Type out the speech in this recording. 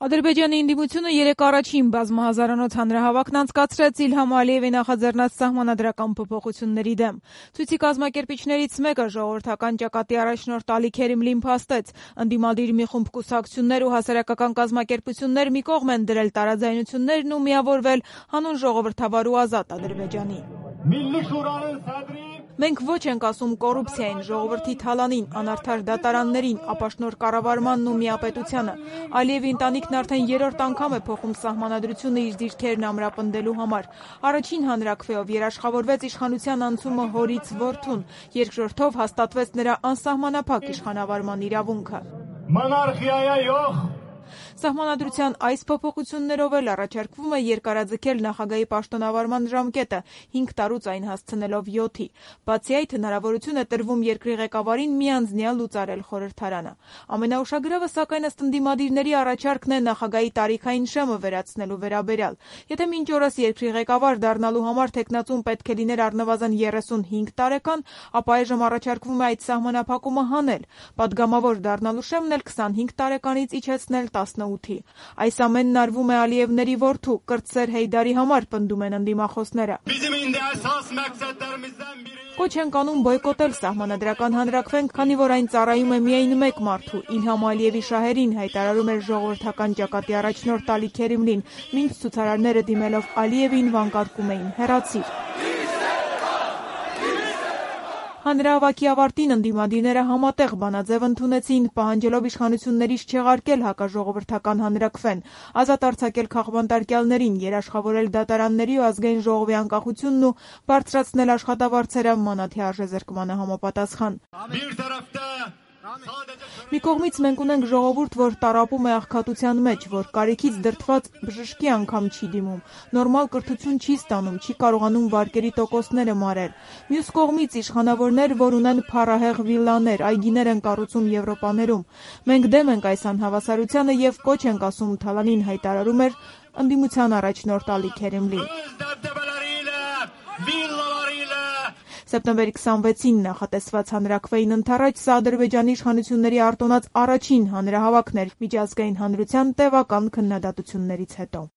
Ադրբեջանի ընդդիմությունը երեկ առաջին բազմահազարանոց հանրահավաքն անցկացրեց Իլհամ Ալիևի նախաձեռնած սահմանադրական փոփոխությունների դեմ։ Ցույցի կազմակերպիչներից մեկը ժողովրդական ճակատի առաջնորդ Ալի Քերիմլին փաստեց, ընդդիմադիր մի խումբ կուսակցություններ ու հասարակական կազմակերպություններ մի կողմ են դրել տարաձայնություններն ու միավորվել հանուն ժողովրդավար ու ազատ Ադրբեջանի։ Մենք ոչ ենք ասում կոռուպցիային, ժողովրդի թալանին, անարդար դատարաններին, ապաշնորհ կառավարմանն ու միապետությանը։ Ալիևի ընտանիքն արդեն երրորդ անգամ է փոխում սահմանադրությունը իր դիրքերն ամրապնդելու համար։ Առաջին հանրաքվեով երաշխավորվեց իշխանության անցումը հորից որդուն, երկրորդով հաստատվեց նրա անսահմանափակ իշխանավարման իրավունքը։ Սահմանադրության այս փոփոխություններով էլ առաջարկվում է երկարաձգել նախագահի պաշտոնավարման ժամկետը 5 տարուց այն հասցնելով 7-ի։ Բացի այդ, հնարավորություն է տրվում երկրի ղեկավարին միանձնյալ լուծարել խորհրդարանը։ Ամենաուշագրավը, սակայն, ըստ ընդդիմադիրների առաջարկն է նախագահի տարիքային շեմը վերացնելու վերաբերյալ։ Եթե մինչ օրս երկրի ղեկավար դառնալու համար թեկնածուն պետք է լիներ առնվազն 35 տարեկան, ապա այժմ առաջարկվում է այդ սահմանափակումը հանել։ Պատգամավոր դառնալու շեմն էլ 25 տարեկանից իջեցնել 18-ի։ Այս ամենն արվում է Ալիևների որդու Կրտսեր Հեյդարի համար, պնդում են ընդդիմախոսները։ Կոչ ենք անում բոյկոտել սահմանադրական հանրաքվեն, քանի որ այն ծառայում է միայն մեկ մարդու՝ Իլհամ Ալիևի շահերին, հայտարարում էր ժողովրդական ճակատի առաջնորդ Ալի Քերիմլին, մինչ ցուցարարները դիմելով Ալիևին վանկարկում էին «Հեռացիր»։ Հանրահավաքի ավարտին ընդդիմադիրները համատեղ բանաձև ընդունեցին, պահանջելով իշխանություններից չեղարկել հակաժողովրդական հանրաքվեն, ազատ արձակել քաղբանտարկյալներին, երաշխավորել դատարանների ու ազգային ժողովի անկախությունն ու բարձրացնել աշխատավարձերը մանաթի արժեզրկմանը համապատասխան։ Մի կողմից մենք ունենք ժողովուրդ, որ տառապում է աղքատության մեջ, որ կարիքից դրդված բժշկի անգամ չի դիմում, նորմալ կրթություն չի ստանում, չի կարողանում վարկերի տոկոսները մարել։ Մյուս կողմից իշխանավորներ, որ ունեն փառահեղ վիլլաներ, այգիներ են կառուցում Եվրոպաներում։ Մենք դեմ ենք այս անհավասարությանը եւ կոչ ենք ասում թալանին, հայտարարում էր ընդդիմության առաջնորդ Ալի Քերիմլին։ Սեպտեմբերի 26-ին նախատեսված հանրաքվեին ընդառաջ սա Ադրբեջանի իշխանությունների արտոնած առաջին հանրահավաքն էր միջազգային հանրության տևական քննադատություններից հետո։